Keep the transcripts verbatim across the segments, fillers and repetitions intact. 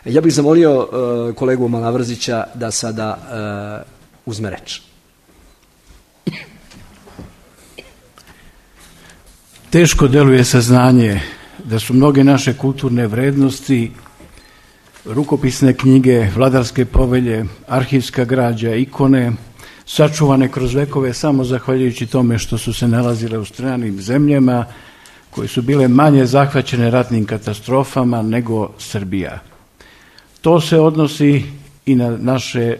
Ja bih zamolio uh, kolegu Malavrzića da sada uh, uzme reč. Teško deluje saznanje da su mnoge naše kulturne vrednosti, rukopisne knjige, vladarske povelje, arhivska građa, ikone, sačuvane kroz vekove samo zahvaljujući tome što su se nalazile u stranim zemljama koje su bile manje zahvaćene ratnim katastrofama nego Srbija. To se odnosi i na naše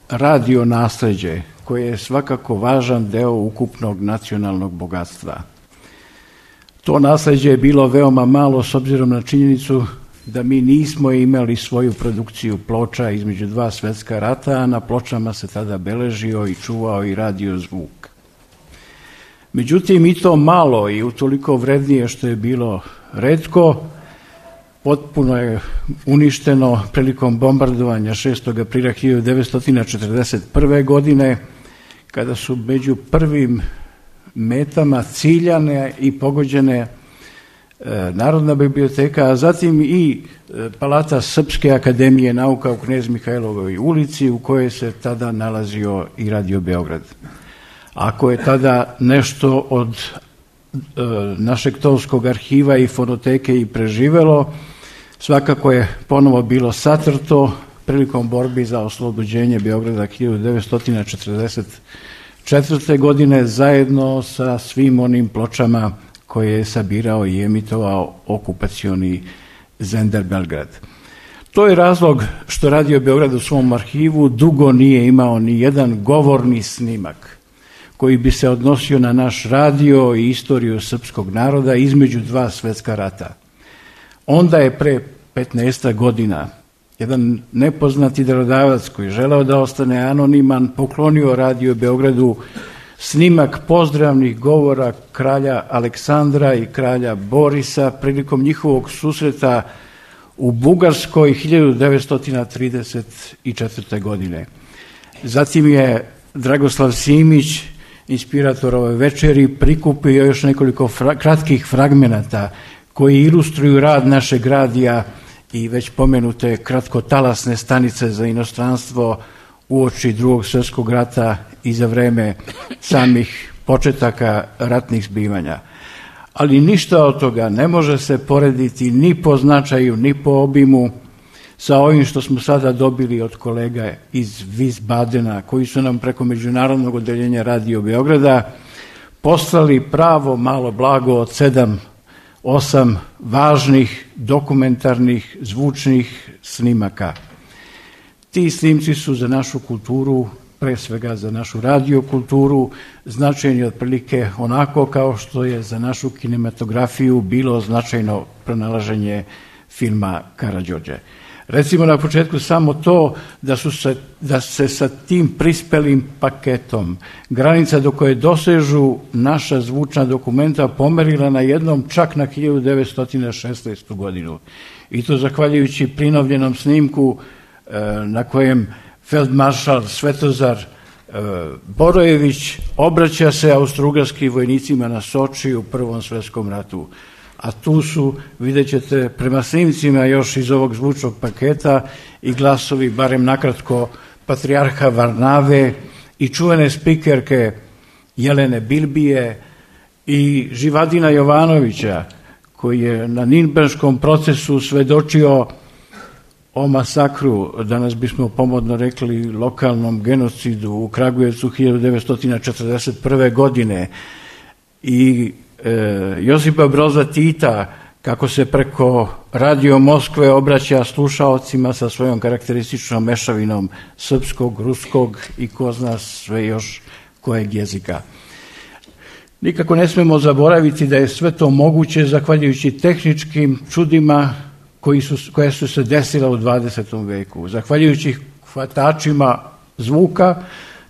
radio nasleđe, koje je svakako važan deo ukupnog nacionalnog bogatstva. To nasleđe je bilo veoma malo s obzirom na činjenicu da mi nismo imali svoju produkciju ploča između dva svetska rata, a na pločama se tada beležio i čuvao i radio zvuk. Međutim, i to malo i utoliko vrednije što je bilo retko, potpuno je uništeno prilikom bombardovanja šestog aprila hiljadu devetsto četrdeset prve. godine, kada su među prvim metama ciljane i pogođene Narodna biblioteka, a zatim i Palata Srpske akademije nauka u Knez Mihajlovoj ulici, u kojoj se tada nalazio i Radio Beograd. Ako je tada nešto od e, našeg tovskog arhiva i fonoteke i preživelo, svakako je ponovo bilo satrto prilikom borbi za oslobođenje Beograda hiljadu devetsto četrdeset četvrte. godine zajedno sa svim onim pločama koje je sabirao i emitovao okupacioni Zender Belgrad. To je razlog što Radio Beograd u svom arhivu dugo nije imao ni jedan govorni snimak koji bi se odnosio na naš radio i istoriju srpskog naroda između dva svetska rata. Onda je pre petnaest godina jedan nepoznati darodavac koji želeo da ostane anoniman poklonio Radio Beogradu snimak pozdravnih govora kralja Aleksandra i kralja Borisa prilikom njihovog susreta u Bugarskoj hiljadu devetsto trideset četvrte. godine. Zatim je Dragoslav Simić, inspirator ove večeri, prikupio još nekoliko fra- kratkih fragmenata koji ilustruju rad našeg radija i već pomenute kratkotalasne stanice za inostranstvo uoči Drugog svjetskog rata i za vreme samih početaka ratnih zbivanja. Ali ništa od toga ne može se porediti ni po značaju, ni po obimu sa ovim što smo sada dobili od kolega iz Wiesbadena, koji su nam preko Međunarodnog odeljenja Radio Beograda poslali pravo malo blago od sedam, osam važnih dokumentarnih zvučnih snimaka. Ti snimci su za našu kulturu, pre svega za našu radio kulturu, značajni otprilike onako kao što je za našu kinematografiju bilo značajno pronalaženje filma Karađorđe. Recimo na početku samo to da, su se, da se sa tim prispelim paketom granica do koje dosežu naša zvučna dokumenta pomerila na jednom čak na hiljadu devetsto šesnaestu. godinu. I to zahvaljujući prinovljenom snimku na kojem feldmaršal Svetozar Borojević obraća se austrougarskim vojnicima na Soči u Prvom svjetskom ratu. A tu su, vidjet ćete, prema snimcima još iz ovog zvučnog paketa i glasovi, barem nakratko, patrijarha Varnave i čuvene spikerke Jelene Bilbije i Živadina Jovanovića, koji je na Nirnberškom procesu svedočio o masakru, danas bismo pomodno rekli lokalnom genocidu u Kragujevcu hiljadu devetsto četrdeset prve. godine i e, Josipa Broza Tita, kako se preko Radio Moskve obraća slušaocima sa svojom karakterističnom mešavinom srpskog, ruskog i ko zna sve još kojeg jezika. Nikako ne smemo zaboraviti da je sve to moguće zahvaljujući tehničkim čudima koji su, koje su se desila u dvadesetom veku. Zahvaljujući hvatačima zvuka,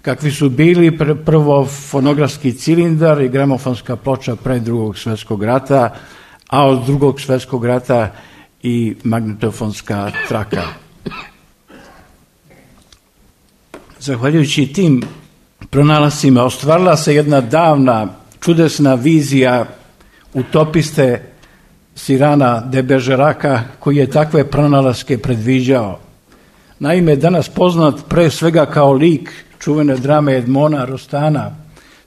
kakvi su bili pr- prvo fonografski cilindar i gramofonska ploča pre Drugog svjetskog rata, a od Drugog svjetskog rata i magnetofonska traka. Zahvaljujući tim pronalascima ostvarila se jedna davna, čudesna vizija utopiste Cyrana de Bergeraka, koji je takve pronalaske predviđao. Naime, danas poznat pre svega kao lik čuvene drame Edmona Rostana,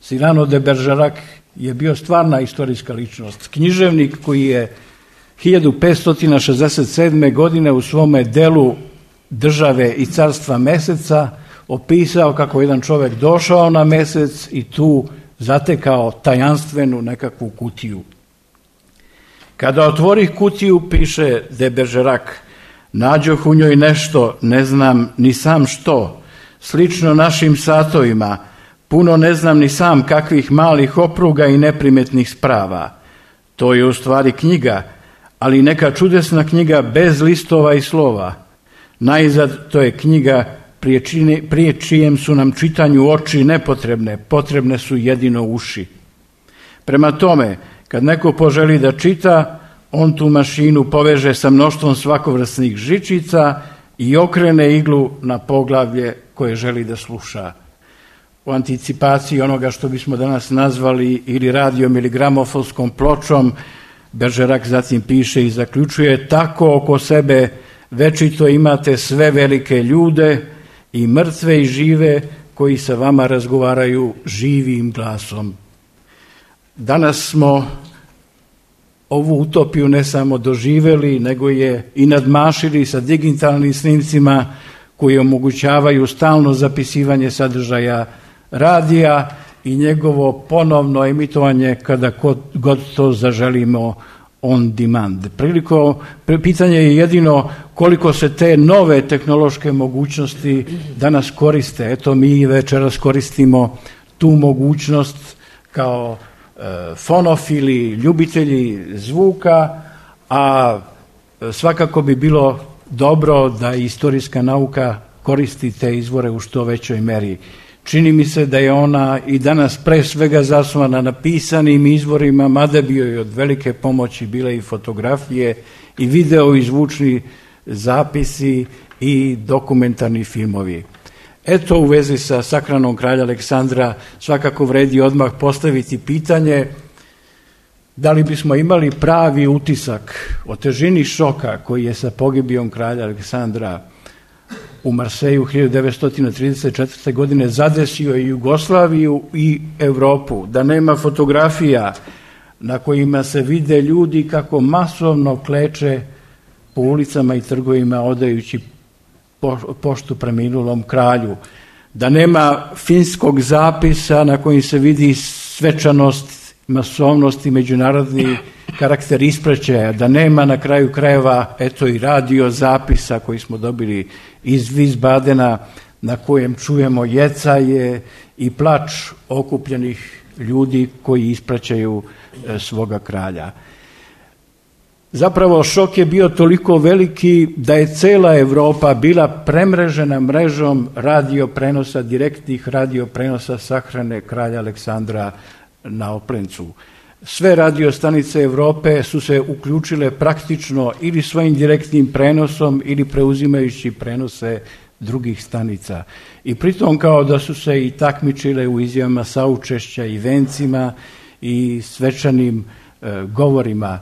Cyrano de Bergerac je bio stvarna istorijska ličnost. Književnik koji je hiljadu petsto šezdeset sedme. godine u svome delu Države i carstva meseca opisao kako jedan čovjek došao na mesec i tu zatekao tajanstvenu nekakvu kutiju. Kada otvorih kutiju, piše de Bergerac, nađoh u njoj nešto, ne znam ni sam što, slično našim satovima, puno ne znam ni sam kakvih malih opruga i neprimetnih sprava. To je u stvari knjiga, ali neka čudesna knjiga bez listova i slova. Najzad to je knjiga prije, čine, prije čijem su nam čitanju oči nepotrebne, potrebne su jedino uši. Prema tome, kad neko poželi da čita, on tu mašinu poveže sa mnoštvom svakovrsnih žičica i okrene iglu na poglavlje koje želi da sluša. U anticipaciji onoga što bismo danas nazvali ili radijom ili gramofonskom pločom, Bergerac zatim piše i zaključuje: tako oko sebe večito imate sve velike ljude, i mrtve i žive, koji sa vama razgovaraju živim glasom. Danas smo ovu utopiju ne samo doživjeli, nego je i nadmašili sa digitalnim snimcima koji omogućavaju stalno zapisivanje sadržaja radija i njegovo ponovno emitovanje kada god to zaželimo on demand. Priliko, pitanje je jedino koliko se te nove tehnološke mogućnosti danas koriste. Eto, mi večeras koristimo tu mogućnost kao e, fonofili, ljubitelji zvuka, a svakako bi bilo dobro da istorijska nauka koristi te izvore u što većoj meri. Čini mi se da je ona i danas pre svega zasnovana na pisanim izvorima, mada bio je od velike pomoći bile i fotografije i video i zvučni zapisi i dokumentarni filmovi. Eto, u vezi sa sakranom kralja Aleksandra svakako vredi odmah postaviti pitanje da li bismo imali pravi utisak o težini šoka koji je sa pogibijom kralja Aleksandra u Marseju hiljadu devetsto trideset četvrte. godine zadesio i Jugoslaviju i Evropu, da nema fotografija na kojima se vide ljudi kako masovno kleče po ulicama i trgovima odajući poštu preminulom kralju, da nema finskog zapisa na kojim se vidi svečanost, masovnost i međunarodni karakter ispraćaja, da nema na kraju krajeva eto i radio zapisa koji smo dobili iz Wiesbadena na kojem čujemo jecaje i plač okupljenih ljudi koji ispraćaju svoga kralja. Zapravo šok je bio toliko veliki da je cela Evropa bila premrežena mrežom radio prenosa, direktnih radio prenosa sahrane kralja Aleksandra na Oplencu. Sve radio stanice Evrope su se uključile praktično ili svojim direktnim prenosom ili preuzimajući prenose drugih stanica. I pritom kao da su se i takmičile u izjavama saučešća i vencima i svečanim e, govorima.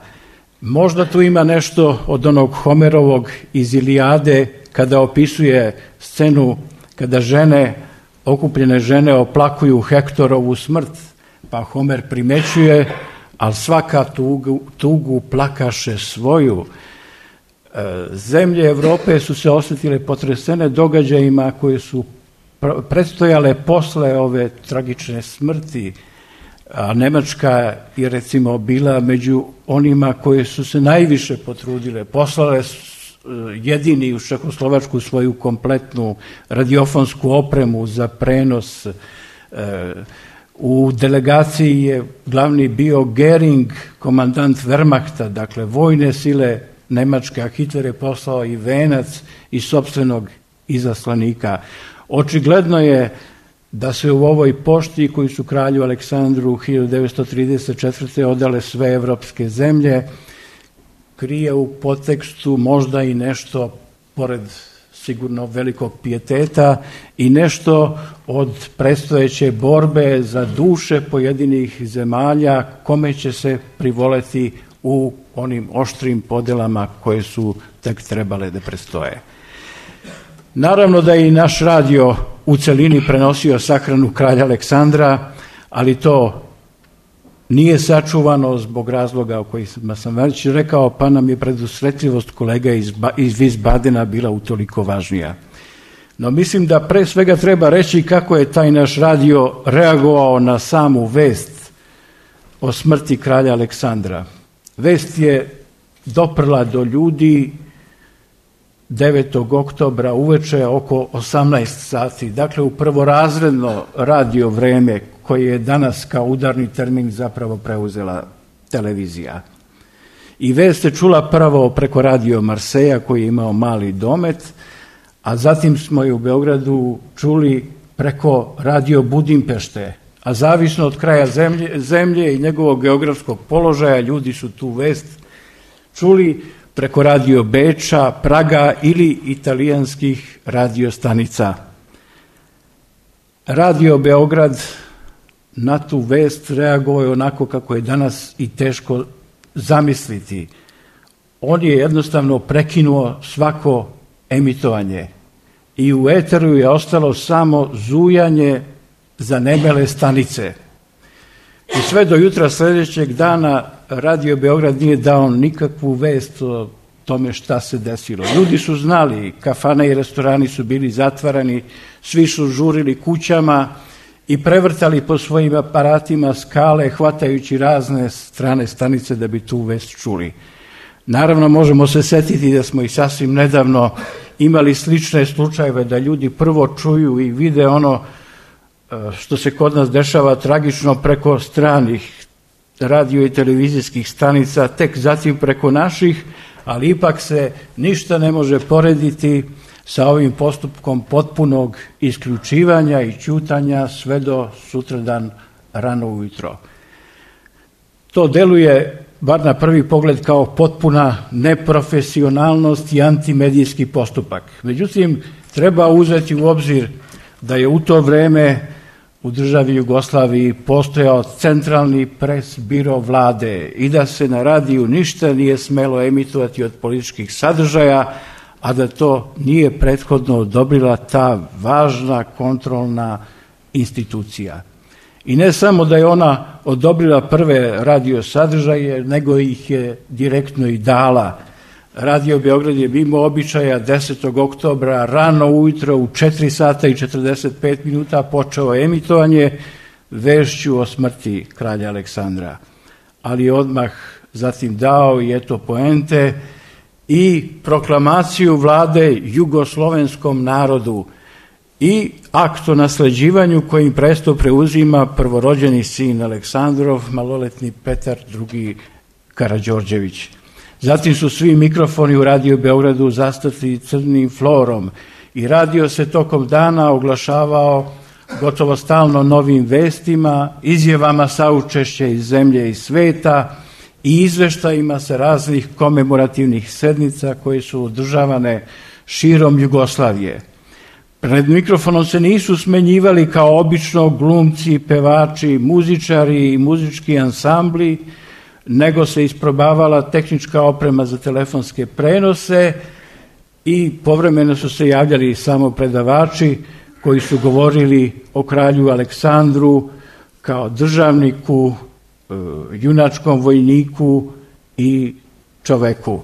Možda tu ima nešto od onog Homerovog iz Ilijade kada opisuje scenu kada žene, okupljene žene oplakuju Hektorovu smrt, pa Homer primećuje, ali svaka tugu, tugu plakaše svoju. Zemlje Evrope su se osjetile potresene događajima koje su predstojale posle ove tragične smrti, a Nemačka je recimo bila među onima koje su se najviše potrudile, poslale jedini u Čehoslovačku svoju kompletnu radiofonsku opremu za prenos. U delegaciji je glavni bio Göring, komandant Wehrmachta, dakle vojne sile Nemačke, a Hitler je poslao i venac i sopstvenog izaslanika. Očigledno je da se u ovoj pošti koju su kralju Aleksandru hiljadu devetsto trideset četvrte. odale sve evropske zemlje, krije u podtekstu možda i nešto, pored sigurno velikog pijeteta, i nešto od predstojeće borbe za duše pojedinih zemalja kome će se privoleti u onim oštrim podelama koje su tek trebale da prestoje. Naravno da je i naš radio u celini prenosio sahranu kralja Aleksandra, ali to nije sačuvano zbog razloga o kojima sam već rekao, pa nam je predusretljivost kolega iz, iz Wiesbadena bila utoliko važnija. No mislim da pre svega treba reći kako je taj naš radio reagovao na samu vest o smrti kralja Aleksandra. Vest je doprla do ljudi devetog oktobra uveče oko osamnaest sati, dakle u prvorazredno radio vreme koje je danas kao udarni termin zapravo preuzela televizija. I vest je čula prvo preko radio Marseja koji je imao mali domet, a zatim smo je u Beogradu čuli preko radio Budimpešte, a zavisno od kraja zemlje, zemlje i njegovog geografskog položaja ljudi su tu vest čuli preko radio Beča, Praga ili italijanskih radiostanica. Radio Beograd na tu vest reagovao je onako kako je danas i teško zamisliti. On je jednostavno prekinuo svako emitovanje i u eteru je ostalo samo zujanje zanemele stanice. I sve do jutra sljedećeg dana Radio Beograd nije dao nikakvu vest o tome šta se desilo. Ljudi su znali, kafane i restorani su bili zatvarani, svi su žurili kućama i prevrtali po svojim aparatima skale, hvatajući razne strane stanice da bi tu vest čuli. Naravno, možemo se setiti da smo i sasvim nedavno imali slične slučajeve da ljudi prvo čuju i vide ono što se kod nas dešava tragično preko stranih radio i televizijskih stanica, tek zatim preko naših, ali ipak se ništa ne može porediti sa ovim postupkom potpunog isključivanja i ćutanja sve do sutradan rano ujutro. To deluje, bar na prvi pogled, kao potpuna neprofesionalnost i antimedijski postupak. Međutim, treba uzeti u obzir da je u to vreme u državi Jugoslaviji postojao centralni pres biro vlade i da se na radiju ništa nije smelo emitovati od političkih sadržaja, a da to nije prethodno odobrila ta važna kontrolna institucija. I ne samo da je ona odobrila prve radio sadržaje, nego ih je direktno i dala. Radio Beograd je mimo običaja desetog oktobra rano ujutro u četiri sata i četrdeset pet minuta počeo emitovanje vešću o smrti kralja Aleksandra. Ali je odmah zatim dao i eto poente i proklamaciju vlade jugoslovenskom narodu i akt o nasleđivanju kojim presto preuzima prvorođeni sin Aleksandrov, maloletni Petar drugi Karađorđević. Zatim su svi mikrofoni u Radio Beogradu zastrti crnim florom i radio se tokom dana oglašavao gotovo stalno novim vestima, izjavama saučešća iz zemlje i sveta i izveštajima sa raznih komemorativnih sednica koje su održavane širom Jugoslavije. Pred mikrofonom se nisu smenjivali kao obično glumci, pevači, muzičari i muzički ansambli, nego se isprobavala tehnička oprema za telefonske prenose i povremeno su se javljali samo predavači koji su govorili o kralju Aleksandru kao državniku, junačkom vojniku i čoveku.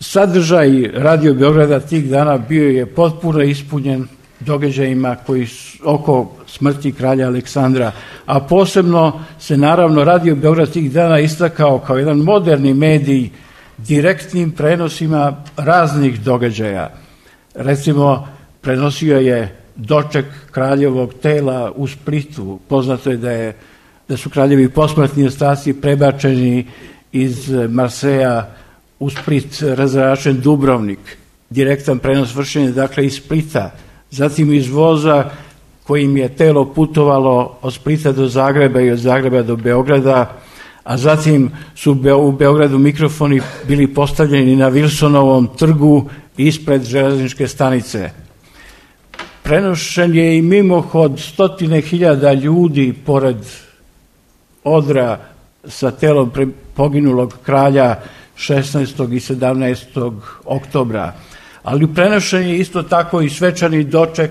Sadržaj Radio Beograda tih dana bio je potpuno ispunjen događajima koji su oko smrti kralja Aleksandra, a posebno se naravno Radio Beograd tih dana istakao kao jedan moderni medij direktnim prenosima raznih događaja. Recimo, prenosio je doček kraljevog tela u Splitu. Poznato je da, je, da su kraljevi posmrtni ostaci prebačeni iz Marseja u Split, razračen Dubrovnik. Direktan prenos vršen je dakle iz Splita, zatim iz voza kojim je telo putovalo od Splita do Zagreba i od Zagreba do Beograda, a zatim su u Beogradu mikrofoni bili postavljeni na Wilsonovom trgu ispred železničke stanice. Prenošen je i mimohod stotine hiljada ljudi pored odra sa telom poginulog kralja šesnaestog i sedamnaestog oktobra. Ali prenošen je isto tako i svečani doček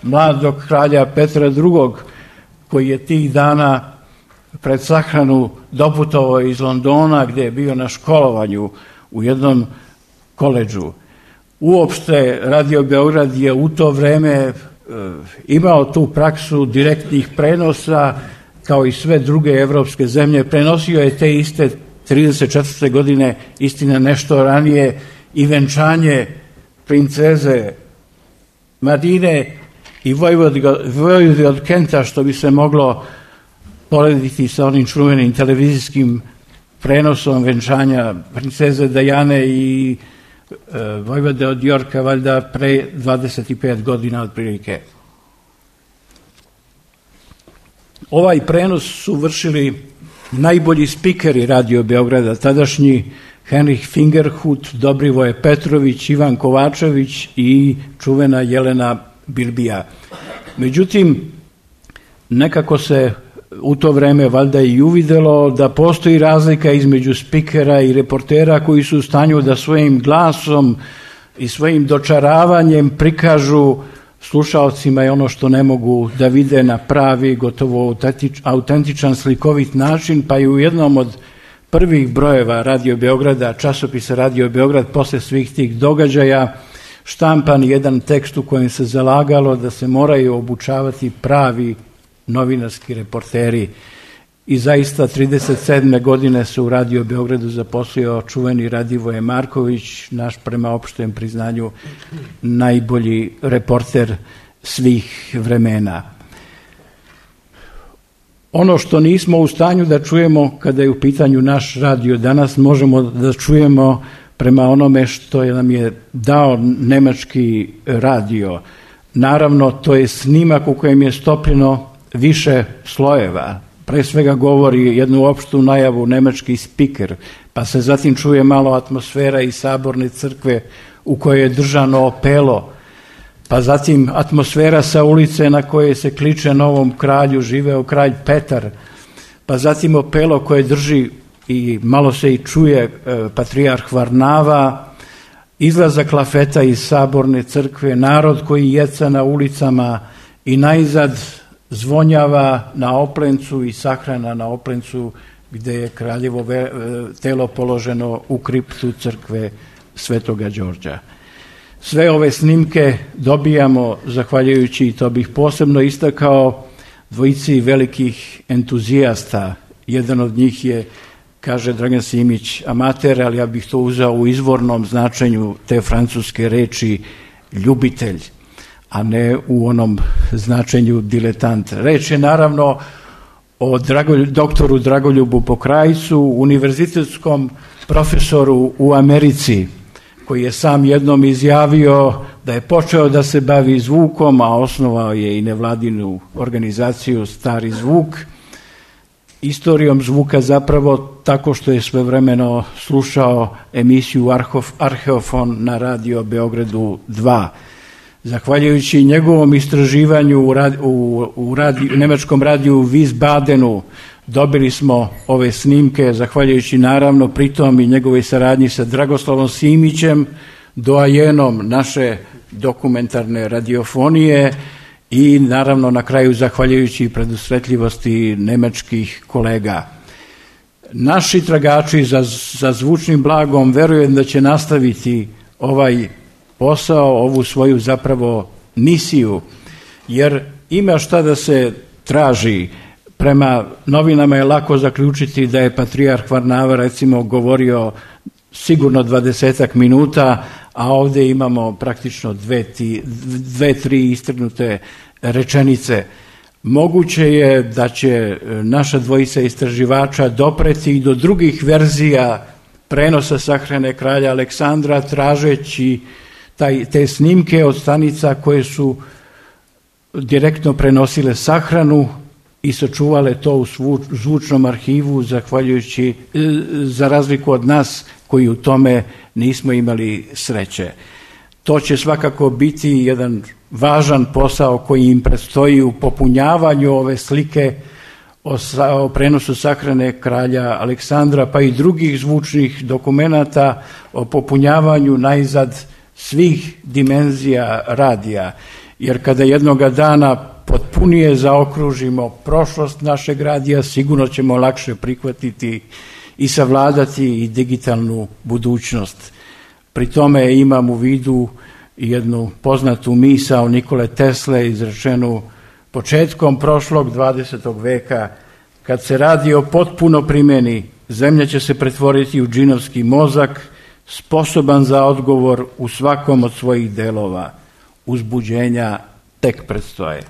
mladog kralja Petra drugog, koji je tih dana pred sahranu doputovao iz Londona, gdje je bio na školovanju u jednom koledžu. Uopšte Radio Beograd je u to vreme e, imao tu praksu direktnih prenosa, kao i sve druge evropske zemlje. Prenosio je te iste trideset četvrte godine, istina nešto ranije, i venčanje princeze Marine i vojvode od Kenta, što bi se moglo porediti sa onim čuvenim televizijskim prenosom venčanja princeze Dajane i e, vojvode od Jorka, valjda pre dvadeset pet godina otprilike. Ovaj prenos su vršili najbolji spikeri Radio Beograda, tadašnji Henrich Fingerhut, Dobrivoje Petrović, Ivan Kovačević i čuvena Jelena Birbija. Međutim, nekako se u to vreme valjda i uvidelo da postoji razlika između spikera i reportera koji su u stanju da svojim glasom i svojim dočaravanjem prikažu slušaocima je ono što ne mogu da vide na pravi, gotovo autentičan, slikovit način, pa i u jednom od prvih brojeva Radio Beograda, časopisa Radio Beograd, posle svih tih događaja, štampan jedan tekst u kojem se zalagalo da se moraju obučavati pravi novinarski reporteri. I zaista trideset sedme godine se u Radio Beogradu zaposlio čuveni Radivoje Marković, naš prema opštem priznanju najbolji reporter svih vremena. Ono što nismo u stanju da čujemo kada je u pitanju naš radio danas, možemo da čujemo prema onome što nam je dao nemački radio. Naravno, to je snimak u kojem je stopljeno više slojeva. Pre svega govori jednu opštu najavu nemački spiker, pa se zatim čuje malo atmosfera iz Saborne crkve u kojoj je držano opelo, pa zatim atmosfera sa ulice na kojoj se kliče novom kralju, živeo kralj Petar, pa zatim opelo koje drži i malo se i čuje e, patrijarh Varnava, izlazak lafeta iz Saborne crkve, narod koji jeca na ulicama i najzad zvonjava na Oplencu i sahrana na Oplencu gde je kraljevo telo položeno u kriptu crkve Svetoga Đorđa. Sve ove snimke dobijamo zahvaljujući, i to bih posebno istakao, dvojici velikih entuzijasta. Jedan od njih je, kaže Dragan Simić, amater, ali ja bih to uzeo u izvornom značenju te francuske reči ljubitelj, a ne u onom značenju diletant. Reč je naravno o Dragolj, doktoru Dragoljubu Pokrajcu, univerzitetskom profesoru u Americi, koji je sam jednom izjavio da je počeo da se bavi zvukom, a osnovao je i nevladinu organizaciju Stari zvuk, istorijom zvuka zapravo tako što je svojevremeno slušao emisiju Arheofon na Radio Beogradu dva. Zahvaljujući njegovom istraživanju u, radi, u, u, radi, u nemačkom radiju Wiesbadenu dobili smo ove snimke, zahvaljujući naravno pritom i njegovoj saradnji sa Dragoslavom Simićem, doajenom naše dokumentarne radiofonije, i naravno na kraju zahvaljujući predusretljivosti nemačkih kolega. Naši tragači za, za zvučnim blagom verujem da će nastaviti ovaj posao, ovu svoju zapravo misiju, jer ima šta da se traži. Prema novinama je lako zaključiti da je patrijarh Varnava recimo govorio sigurno dvadesetak minuta, a ovdje imamo praktično dve, ti, dve tri istrgnute rečenice. Moguće je da će naša dvojica istraživača dopreti i do drugih verzija prenosa sahrane kralja Aleksandra, tražeći taj, te snimke od stanica koje su direktno prenosile sahranu i sačuvale to u zvučnom arhivu, zahvaljujući, za razliku od nas koji u tome nismo imali sreće. To će svakako biti jedan važan posao koji im predstoji u popunjavanju ove slike o, sa, o prenosu sahrane kralja Aleksandra, pa i drugih zvučnih dokumenata o popunjavanju najzad svih dimenzija radija. Jer kada jednoga dana potpunije zaokružimo prošlost našeg radija, sigurno ćemo lakše prihvatiti i savladati i digitalnu budućnost. Pri tome imam u vidu jednu poznatu misao Nikole Tesle izrečenu početkom prošlog dvadesetog veka: kad se radio potpuno primeni, zemlja će se pretvoriti u džinovski mozak, sposoban za odgovor u svakom od svojih delova. Uzbuđenja tek predstoje.